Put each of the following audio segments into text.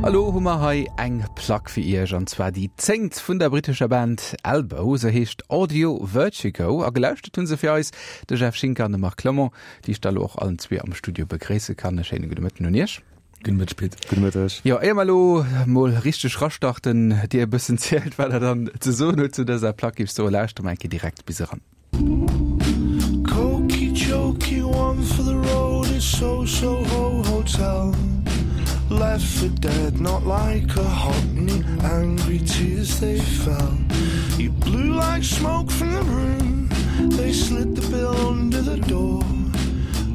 A lo hu mer hei eng Plack fir iech, an zwar déi zéngt vun der brittescher Band Elbow. Se heescht Audio Vertigo a gelauschtert hu se fir eis de Jeff Schinker an de Marc Clement, déi ech da lo och allen zwee am Studio begréisse kann. E schéine gudde Mëtten un iech. Gudde Mëtteg, Pit. Gudde Mëtteg. Jo, éier mer elo mol richteg rastarten, dir e bëssen zielt, wat der dann ze soen hutt zu dëser Plack, géif ech soen, lauschtert mer eng Kéier direkt bis eran. Cokey-chokey, one for the road is So-So-Ho Hotel Left for dead, not like a hockney Angry tears they fell You blew like smoke from the room They slid the bill under the door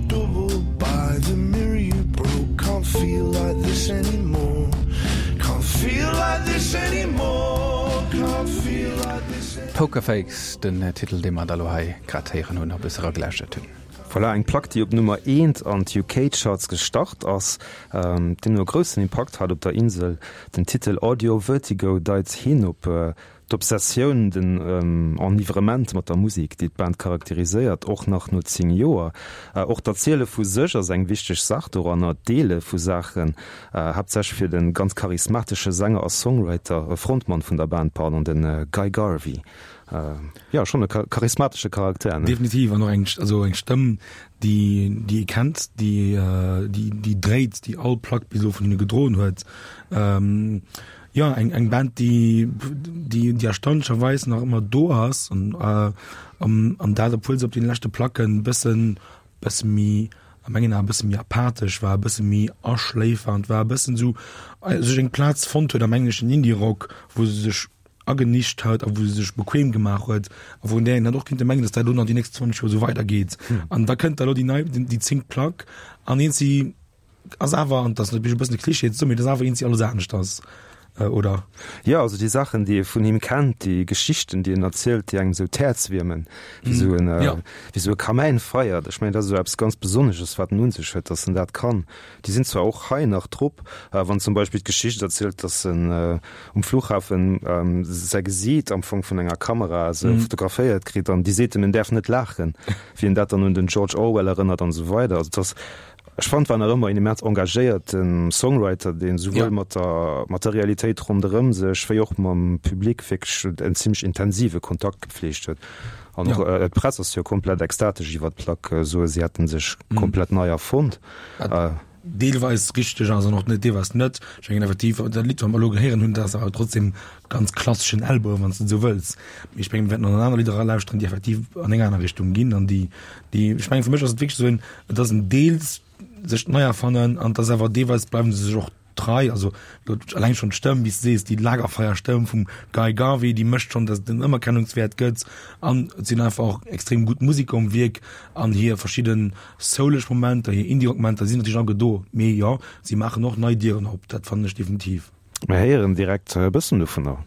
Double by the mirror you broke Can't feel like this anymore Can't feel like this anymore Can't feel like this anymore Poker Face, den Titel dee mer da lo hei grad héieren hunn a bësse eragelauschtert hunn. Voilà, eng Plack déi op Nummer eent an d'UK Charts gestart ass, deemno e groussen Impakt hat op der Insel. Den Titel Audio Vertigo deit hin op d'Obsessioun, den Enivrement mat der Musek, déi d'Band charakteriséiert, och nach no 10 Joer. Och d'Erziele vu sech ass eng wichteg Saach doranner, d'Deele vu Saachen, haaptsächlech fir de ganz charismatesche Sänger a Songwriter, Frontmann vun der Band, pardon, de Guy Garvey. Jo, schonn e charismatesche Charakter, ne? Definitiv, an och eng, also eng Stëmm, déi, déi ee kennt, déi, déi, déi dréit, déi all Plack bis elo vun hinne gedroen huet. Jo, eng, eng Band, déi, déi, déi erstaunlecherweis nach ëmmer do ass an, an, an dat obwuel se op deene leschte Placken e bëssen, bësse méi, a mengen Aen e bësse méi apathesch war, e bësse méi aschléifernd war, e bëssen esou sech eng Plaz fonnt huet am engleschen Indie-Rock, wou se sech agenischt huet a wou se sech bequem gemaach huet a wou un där een hätt och kinnte mengen, datt dat elo nach déi nächst 20 Joer esou weidergeet. An da kënnt da elo déi nei, déi zéngt Plack an eent si ass awer, an dat ass natierlech e bëssen e Klischee ze soen, mee dat ass awer eent si alles anescht ass, oder? Jo, also déi Saachen, déi ee vun him kennt, déi Geschichten, déi en erzielt, déi engem esou d'Häerz wiermen, wéi esou en, wéi esou e Kamäinfeier, ech mengen, dat ass esou eppes ganz Besonnesches, wat en un sech huet, datt en dat kann. Déi sinn zwar och hei nach drop, wann zum Beispill d'Geschicht erzielt, datt en um Flughafen säi Gesiit am Fong vun enger Kamera esou fotograféiert kritt an déi seet em, en däerf net laachen, wéi en dat dann un den George Orwell erënnert an esou weider. Also et ass, ech fand, war nach ëmmer en immens engagéierte Songwriter, deen esouwuel mat der, mat der Realitéit ronderëm sech wéi och mam Public wierklech en zimmlech intensive Kontakt gepfleegt huet. An och d'Press ass jo komplett ekstatesch iwwer d'Plack, soe si hätte sech komplett nei erfonnt. Deelweis richteg ass an och net deelweis net. Ech mengen effektiv, dat Lidd, wat mer elo gehéieren hunn, dat ass awer trotzdem ganz klasseschen Elbow, wann s de et esou wëlls. Mee ech mengen, mir wäerten och nach aner Lidder eralauschteren, déi effektiv an eng aner Richtung ginn an déi, déi, ech mengen, fir mech ass et wierklech esou en, et ass en deels sech nei erfannen an et ass awer deelweis bleiwe se sech och trei, also eleng schonn d'Stëmm, wéi s de sees, déi Lagerfeierstëmm vum Guy Garvey, déi mécht schonn, datt et en Ëmerkennungswäert gëtt an et sinn einfach och extrem gutt Museker um Wierk an hir verschidden souleg Momenter, hir Indie-Rock-Momenter sinn natierlech alleguer do, mee jo, si maachen och nei Dieren op, dat fannen ech definitiv. Mir héieren direkt e bëssen dovunner.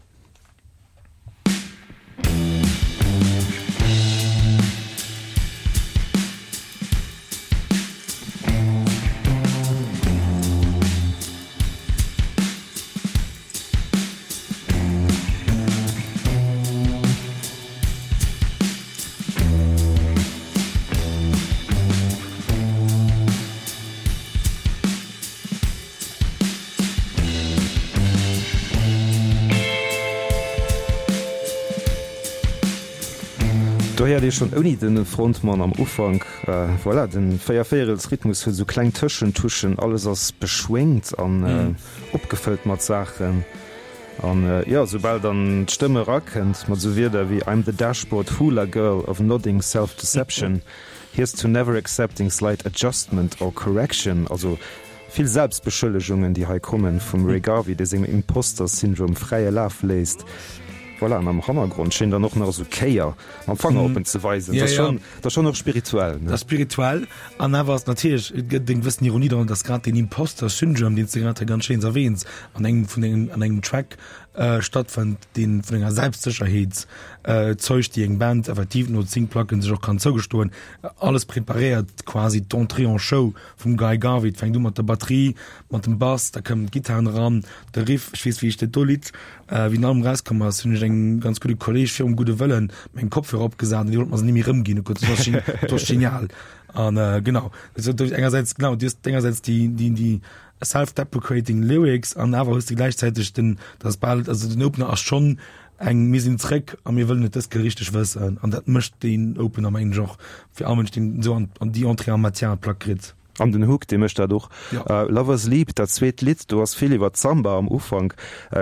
Do héiert ee schonn ouni de Frontmann am Ufank, voilà, den Véiervéierelsrhythmus huet esou kleng Tëschentuschen, alles ass beschwéngt an opgefëllt mat Saachen. An jo, soubal dann d'Stëmm erakënnt mat esou Wierder wéi I'm the dashboard hula girl of nodding self-deception, here's to never accepting slight adjustment or correction, also Vill Selbstbeschëllegungen, déi hei kommen vum Ray Garvey, dee sengem Imposter Syndrome fräie Laf léisst. Voilà, an am Hannergrond schéin dann och nach esou Kéier mam Fanger op en ze weisen. Dat ass schonn, dat ass schonn och spirituell, ne? Dat ass spirituell an awer ass natierlech, et gëtt eng gewëssen Ironie dran, dass grad deen Imposter Syndrome, deen s de grad hei ganz schéin erwähns, an engem vun engem, an engem Track stattfënnt, deen vun enger Selbstsécherheet zeugt, déi eng Band effektiv no 10 Placken sech och kann zougestoen. Alles preparéiert quasi d'Entrée en Show Vum Guy Garvey, et fänkt u mat der Batterie, mat dem Bass, da kommen d'Gittaren eran, de Riff. Ech weess, wéi ech dat do Lidd, wéi den Album erauskomm ass, hunn ech engem ganz gudde Kolleeg virum gudde Wëllen meng Kopfhörer opgesat an dee wollt mer se ni méi erëmginn. Dat ass genial. An äh, genau also, engersäits genau du hues engersäits déi déi déi self-deprecating Lyrics an awer hues de gläichzäiteg den das bal also den Opener ass schonn eng mir sinn zréck a mir wëllen et dës Kéier richteg wëssen an dat mécht deen Opener mengen ech och fir all Mënsch deen esou an an déi Entrée en matière an d'Plack kritt. An den Hook, dee mécht dat och. Ja. Lovers Leap, dat zweet Lidd, do ass vill iwwer d'Samba am Ufank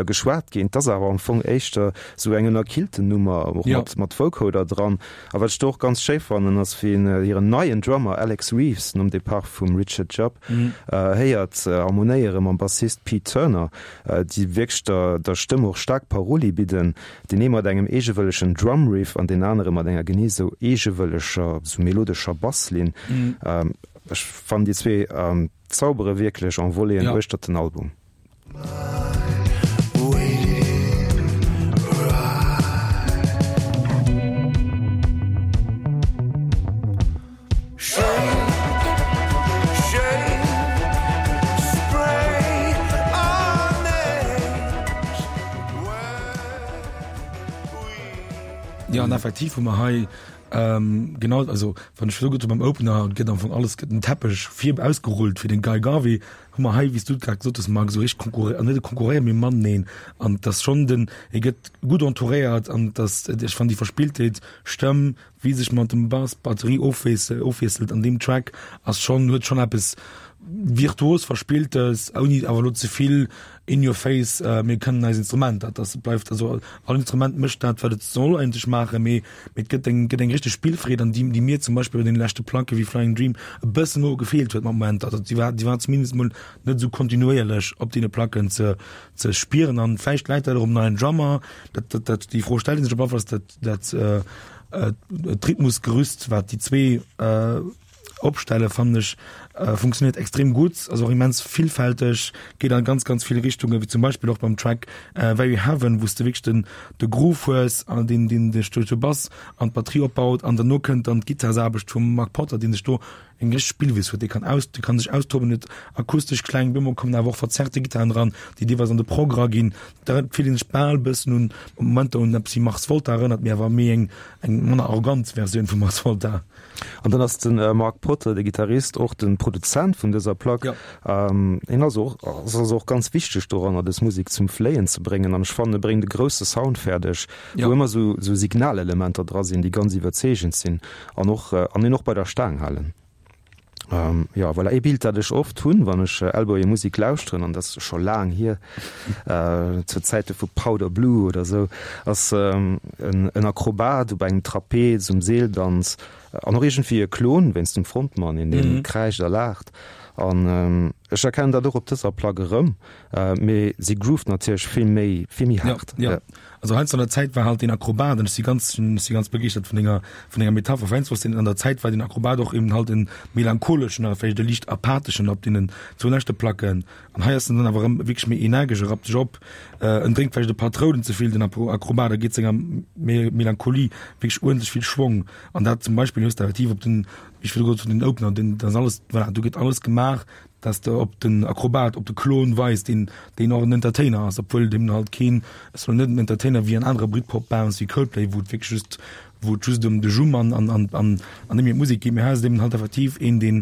geschwat ginn. 't ass awer am Fong éischter sou eng ënnerkillten Nummer, och Ja. mat mat Vocoder dran. A wat ech do och ganz schéi fannen, ass wéi een hiren neien Drummer Alex Reeves, nom Depart vum Richard Jupp, héiert harmonéiere mam Bassist Pete Turner, déi wierklech der der Stëmm och staark Paroli bidden, deen ee mat engem eegewëllegen Drum-Riff an deen anere mat enger genee sou eegewëlleger, sou melodescher Basslinn. Ech fannen déi zwee zaubere wierklech en Voléeën uechtert den Album. Jo an effektiv hu mer hei genau, also wann ech esou gutt beim Opener gëtt am Fong alles gëtt den Teppech vir ausgerullt fir den Guy Garvey hu mer hei wéi s du et grad gesot hues Marc esou richteg konkurré an net konkurréieren mee mateneen an et ass schonn den e gëtt gutt entouréiert an et ass ech fannen déi Verspilltheet Stëmm wéi sech mat dem Bass Batterie ofwiesselt ofwiesselt an deem Track ass schonn huet schonn eppes virtuos verspilltes ouni awer elo ze vill in your face mir kënnen eis Instrumenter dat ass bleift also all Instrument mécht dat wat et soll eigentlech maachen mee mee et gëtt eng gëtt eng richteg Spillfreed an déi déi mir zum Beispill bei deene leschte Placke wéi Flying Dream e bëssen elo gefeelt huet mat Momenter also déi war déi war zumindest mol net esou kontinuéierlech op deene Placken ze ze spieren an vläicht läit dat och um neien Drummer dat dat dat déi Fro stellt ee sech op alle Fall dat dat d'Rhythmusgerüst wat déi zwee opstelle fannen ech funktioniert extrem gutt, ass och immens villfälteg, geet an ganz ganz vill Richtungen, wéi zum Beispill och beim Track Very Heaven, wou s de wierklech den de Groove hues an deen deen dech duerch de Bass an d'Batterie opbaut an derno kënnt dann d'Gittarsaarbecht vum Mark Potter, deen sech do eng richteg Spillwiss huet, dee kann aus dee kann sech austoben, huet akustesch Kläng, bemol kommen awer och verzerrte Gittaren dran, déi deelweis an de Prog eraginn. Da fillt een sech bal bëssen un Momenter un eppes wéi Mars Volta erënnert, mee awer méi eng eng manner arrogant Versioun vu Mars Volta. An dann ass de Mark Potter, de Gittarist, och de Produzent vun dëser Plack. Hien ass och ass also och ganz wichteg doranner, dës Musek zum Fléien ze bréngen. An ech fannen, e bréngt e grousse Sound fäerdeg, wou ëmmer esou esou Signalelementer dra sinn, déi ganz iwwerzeegend sinn an och an een och bei der Staang halen. Jo, voilà, ee Bild, dat ech oft hunn, wann ech Elbow hir Musek lauschteren, an dat ass scho laang hier, zur Zäite vu Powder Blue oder esou, ass en Akrobat op engem Trapez um Seeldanz an och iergendwéi e Klon wéinst dem Frontmann, een dee kräischt a laacht. An ech erkennen dat och op dëser Plack erëm, mee si grooved natierlech vill méi, vill méi haart. Jo, jo. Also heiansdo an der Zäit war halt den Akrobat, an ech si ganz, ech si ganz begeeschtert vun denger, vun denger Metapher, heiansdo ass den, an der Zäit war den Akrobat och eben halt en melancholeschen oder vläicht e liicht apatheschen op deenen zwou leschte Placken. An hei ass en dann awer erëm wierklech méi energesch, e rappt sech op, en drénkt vläicht e paar Troulen ze vill, den Akrobat, a geet senger Melancholie wierklech uerdentlech vill Schwong. An dat zum Beispill hues de effektiv op den, wéi ech virdru gesot hunn, den Opener, den, dat ass alles, voilà, do gëtt alles gemaach, dass de op den Akrobat, op de Klon weis, deen, deen och en Entertainer ass, obwuel deem halt keen, ass lo net en Entertainer wéi an anere Britpop-Bands wéi Coldplay, wou et wierklech just, wou et just ëm de Jumm an, an, an, an, an nëmme d'Musek geet, mee hei ass et eben halt effektiv een, deen,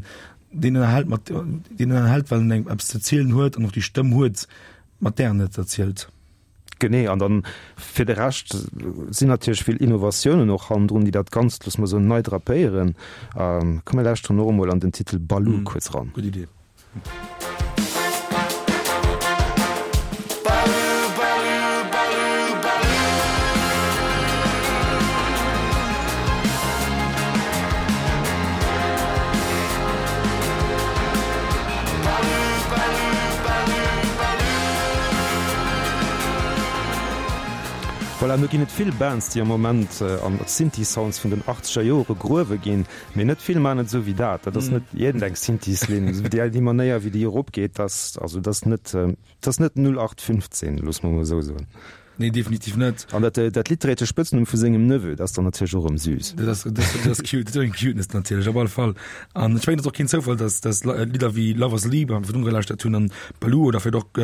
deen ënnerhält mat, deen ënnerhält, well en eng eppes ze zielen huet an och déi Stëmm huet, mat där en et erzielt. Genee, an dann fir de Rescht sinn natierlech vill Innovatiounen och hannendrun, déi dat Ganzt, loosse mer soen, nei drapéieren. Komm mir lauschteren och emol an den Titel Baloo kuerz eran. Gutt Idee. Voilà, no ginn et vill Bands, déi am Moment an Synthie-Sounds vun den achtzeger Jore gruewe ginn, mee net vill man et esou wéi dat. Dat ass net iergendeng Synthies-Linn. Déi Manéier, wéi déi eropgeet, dat ass, also dat ass net, dat ass net 0815, loosse mer emol esou soen. Nee, definitiv net. An dat, dat Lidd dréit de Spëtznumm vu sengem Neveu, dat ass dann natierlech och erëm süß. Dat ass, dat ass, dat ass cute, dat ass eng Cuteness natierlech, op alle Fall. An ech mengen, et ass och keen Zoufall, dass, dass Lidder wéi Lovers Leap, wat mer virdrun gelauschtert hunn, an Baloo oder vläicht och.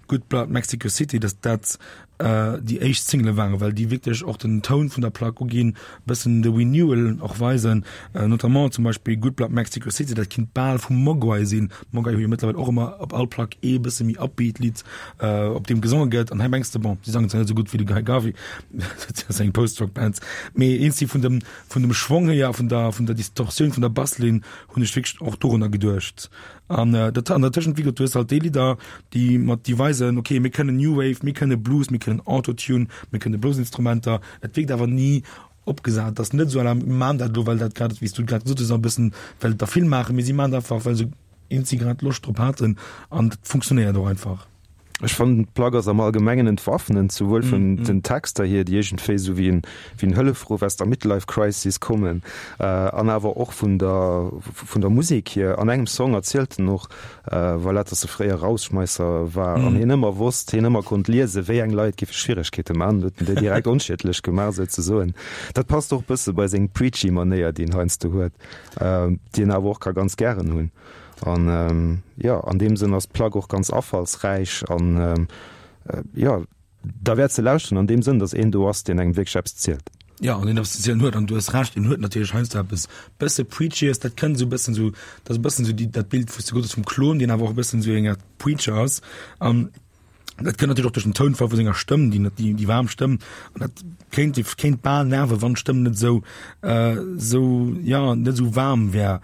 Good Blood Mexico City, dass dat déi éischt Single waren, well déi wierklech och den Toun vun der Plack uginn, e bëssen de Renewal och weisen, notamment zum Beispill Good Blood Mexico City, dat kinnt bal vum Mogwai sinn. Mogwai hu jo mëttlerweil och ëmmer op all Plack ee bësse méi upbeat Lidd, op deem gesonge gëtt. An hei mengs de, bon, si sangen zwar net esou gutt wéi de Guy Garvey, dat ass eng Post-Rock-Band, mee eens si vun dem, vun dem Schwong hier a vun der, vun der Distortioun vun der Basslinn hunn ech wierklech och dorunner geduecht. An dat an der Tëschent, wéi gesot, du hues halt déi Lidder, déi mat déi weisen, okay, mir kënnen New Wave, mir kënne Blues, mir kënnen Autotune, mir kënne Bluesinstrumenter. Et wierkt awer ni opgesat. Et ass net esou à la mir maachen dat elo, well dat grad, wéi s du grad gesot hues, e bëssen, well et der vill maachen, mee si maachen et einfach, well se eenzi grad Loscht drop haten an dat funktionéiert och einfach. Ech fannen d'Plack ass am Allgemengen entwaffnend, souwuel vun den Texter hier, déi iergendwéi esou wéi en wéi en Hëllefruff aus der Midlife Crisis kommen, an awer och vun der vun der Musek hier. An engem Song erzielt en och, voilà, dass e fréier Rausschmeisser war an hien ëmmer wosst, hien ëmmer konnt liesen, wéi eng Leit géife Schwieregkeete maachen, huet en déi direkt onschiedlech gemaach souzesoen. Dat passt och bësse bei seng preachy Manéier, déi en heiansdo huet, déi en awer och ka ganz gären hunn. An jo, an deem Sënn ass d'Plack och ganz afallsräich an jo, derwäert ze lauschteren an deem Sënn, datt een do ass, deen engem wierklech eppes zielt. Jo, an deen eppes ze zielen huet. An du hues Recht, en huet natierlech heiansdo eppes bësse Preachyes, dat kënnt esou e bëssen esou, dat ass e bëssen esou déi, dat Bild, wou s de gesot hues vum Klon, deen awer och e bëssen esou eng Aart Preacher ass. An dat kënnt natierlech och duerch den Tounfall vu senger Stëmm, déi déi déi waarm Stëmm. An dat kéint kéint bal nerven, wann d'Stëmm net esou esou, jo, net esou waarm wär.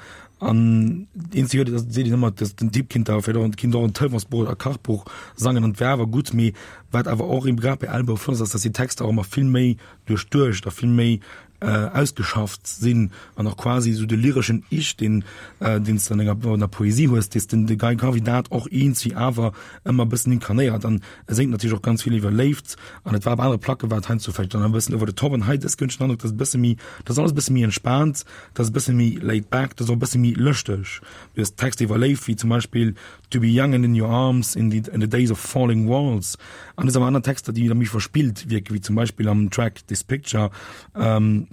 An eenzeg huet, dat seet een ëmmer, dass den Typ kinnt da vläicht och kinnt och en Telefonsbuch oder e Kachbuch sangen an et wär awer gutt. Mee wat awer och eben grad bei Elbow flott ass, ass, dass déi Texter och ëmmer vill méi duerchduecht a vill méi ausgeschafft sinn an och quasi esou de lyreschen Ich, deen deen s de an enger an der Poesie hues, dee s den de Guy Garvey dat och eenzi awer ëmmer e bëssen inkarnéiert an e séngt natierlech och ganz vill iwwer Léift an et war op anere Placke war et heiansdo vläicht dann e bëssen over the top an hei dës gëtt den Androck, dass e bësse méi, dass alles e bësse méi entspaant, dass e bësse méi laid back, dass och e bësse méi lëschteg. Du hues Texter iwwer Léift wéi zum Beispill To be young and in your arms in the in the days of falling walls an et awer aner Texter, déi da méi verspillt wierken, wéi zum Beispill am Track This Picture, ähm,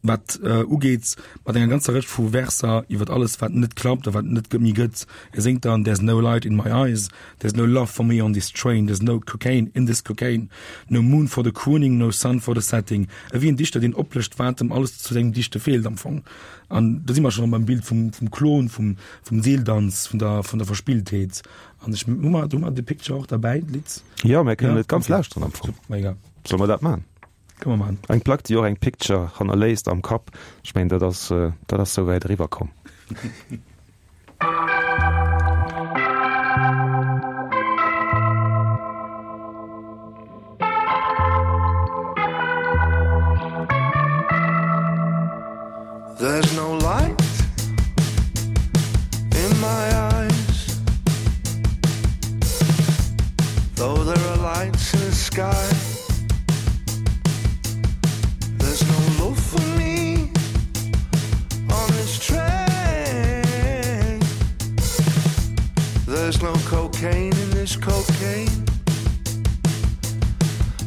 wat äh, ugeet mat enger ganzer Rëtsch vu Verser iwwer alles, wat net klappt a wat net méi gëtt. E séngt dann There's no light in my eyes, there's no love for me on this train, there's no cocaine in this cocaine, no moon for the crooning, no sun for the setting. Ewéi en Dichter, deen oplëscht, wat em alles zu sengem Dichte feelt am Fong. An do si mer schonn beim Bild vum, vum Klon, vum, vum Seeldanz, vun der, vun der Verspilltheet. An ech, hu mer, hu mer The Picture och derbäi, d'Lidd? Jo, mir kënnen et ganz lauschteren am Fong. Mega. Solle mer dat maachen? Kënne mer maachen. Eng Plack, déi och eng Picture hannerléisst am Kapp. Ech mengen, dat ass, dat ass souwäit eriwwer komm. There's no light in my eyes Though there are lights in the sky There's no love for me on this train There's no cocaine in this cocaine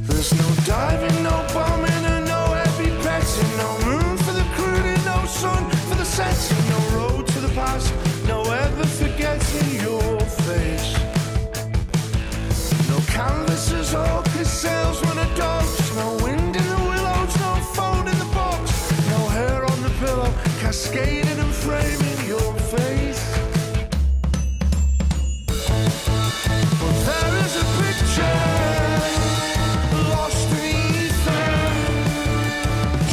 There's no diving, no bombing and no heavy petting No moon for the crooning, no sun for the setting No road to the past, no ever forgetting your face No canvases or sails when a dogs No wind in the willows, no phone in the box No hair on the pillow, cascading and framing your face But there is a picture lost in ether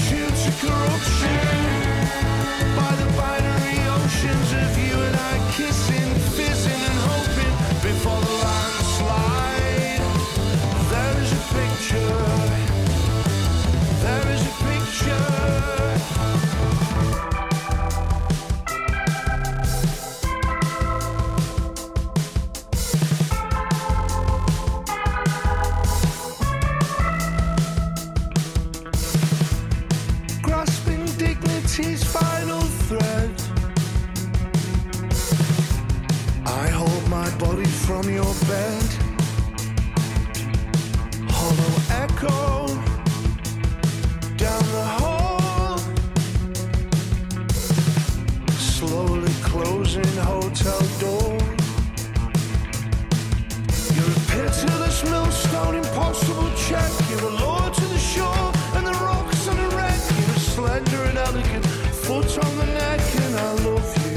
Due to corruption by the binary oceans of you and I kissing, fizzing and hoping before the landslide There is a picture There is a picture Grasping dignity's final thread I hold my body from your bed Hollow echo down the hall Slowly closing hotel door. check. You're a lure to the shore and the rocks and the wreck. You're a slender and elegant foot on the neck, and I love you.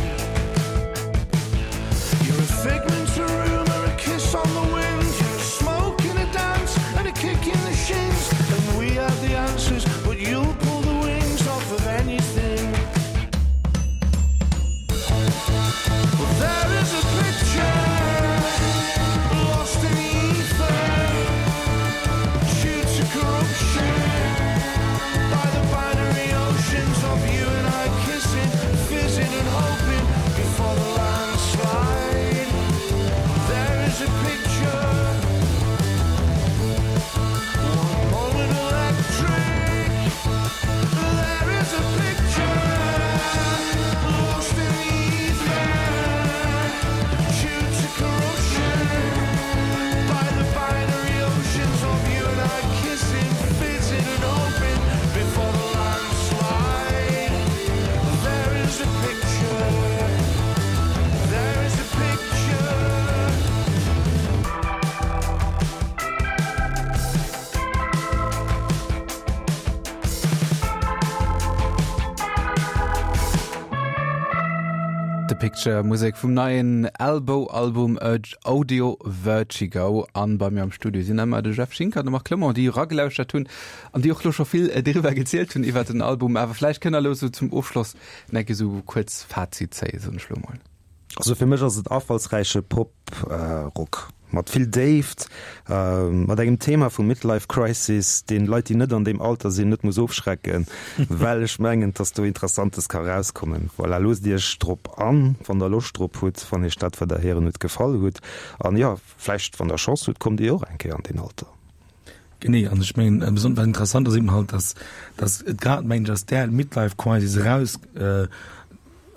You're a figment, a rumor, a kiss on the wind. You're a smoke in a dance and a kick in the shins. And we have the answers, but you'll pull the wings off of anything. Well, there is a picture lost in the ether due to corruption by the binary oceans of you and I kissing, fizzing and hoping before the landslide. There is a picture. One moment electric. There is a picture lost in the ether due to corruption by the binary oceans of you and I kissing, fizzing and hoping before the landslide. There is a picture. There is a picture. The Picture, Musek vum neien Elbow-Album Audio Vertigo. An bei mir am Studio sinn ëmmer de Jeff Schinker an de Marc Clement, déi eragelauschtert hunn an déi och lo scho vill driwwer gezielt hunn iwwer den Album. Awer vläicht kënnt der elo sou zum Ofschloss nach eng Kéier sou kuerz Fazit zéien, soen ech lo mol. Also fir mech ass et afallsräiche Pop-Rock mat vill Déift, mat engem Thema vu Midlife Crisis, deen Leit, déi net an deem Alter sinn, net muss ofschrecken, well ech mengen, dass do Interessantes ka rauskommen. Voilà, loosst Iech drop an, wann der Loscht drop hutt, wann Iech dat, wat der héieren hutt, gefall hutt. An jo, vläicht, wann der Chance hutt, kommt Dir och eng Kéier an deen Alter. Genee, an ech mengen, besonnesch wat interessant ass eben halt, dass, dass et grad, mengen ech, aus där Midlife Crisis eraus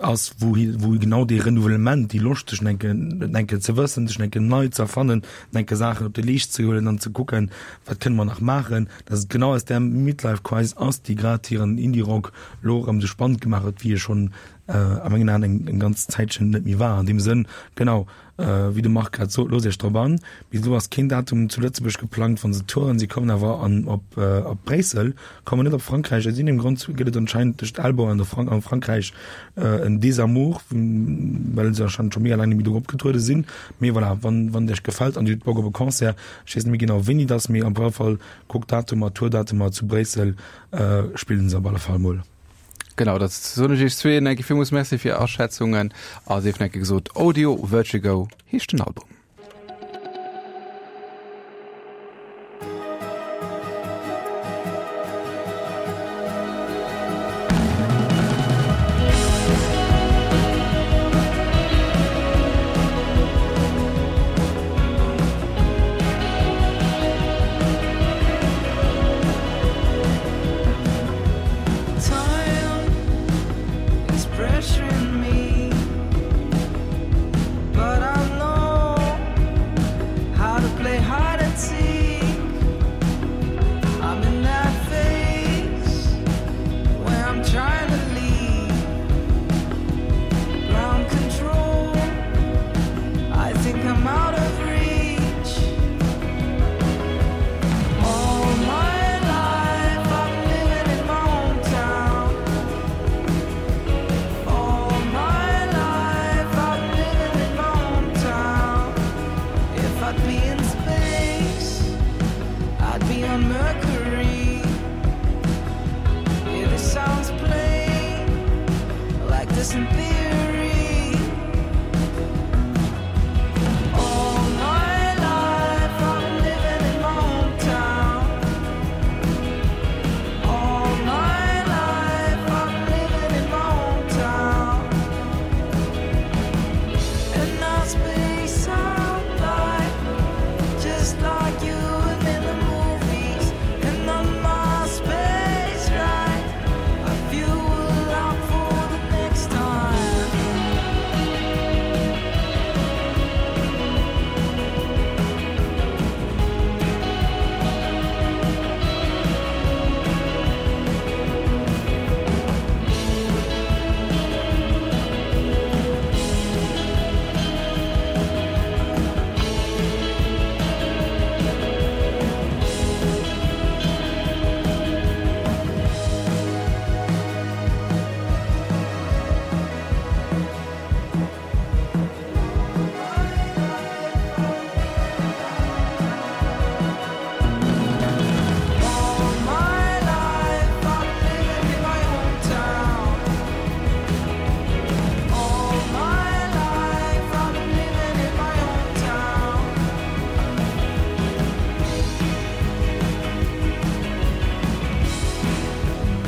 ass, wou hi, wou genau dee Renouvellement, déi Loscht sech enke, enke ze wëssen, sech enke nei ze erfannen, enke Saachen op de Leescht ze huelen an ze kucken, wat kënne mer nach maachen, dass et genau aus där Midlife Crisis ass, déi grad hiren Indie-Rock elo erëm esou spannend gemaach huet, wéi e schonn a mengen Aen eng, eng ganz Zäitchen net méi war. An deem Sënn, genau, Wéi de Marc grad sot, loosst iech drop an. Bis elo ass keen Datum zu Lëtzebuerg geplangt, wann se touren. Si kommen awer an op op Bréissel, kommen net op Frankräich. Aus iergendengem Grond gëtt et anscheinend tëscht Elbow an der Frank an Frankräich en Desamour, well se anscheinend scho mega laang net méi do opgetruede sinn. Mee voilà, wann wann et iech gefält an dir hutt Bock op e Concert, ech weess net méi genau wéini et ass, mee op alle Fall kuckt Datumer, Tourdatumer zu Bréissel spillen se op alle Fall mol. Genau, dat soen ech iech zwee enke villmools Merci fir är Aschätzungen a sief enke gesot, Audio Vertigo heescht den Album.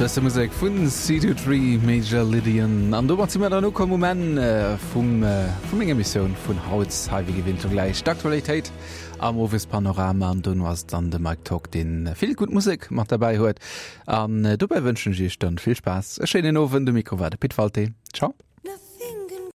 Bësse Musek vun C23 Major Lydian. An domat si mer dann ukomm um Enn vum vu menger Emissioun vun haut. Hei wéi gewinnt elo gläich d'Aktualitéit am Owespanorama an dono ass et dann de Mike Tock, deen vill gutt Musek mat derbäi huet. An dobäi wënschen ech iech dann vill Spaass, e schéinen Owend. Um Mikro war de Pit Walté. Ciao.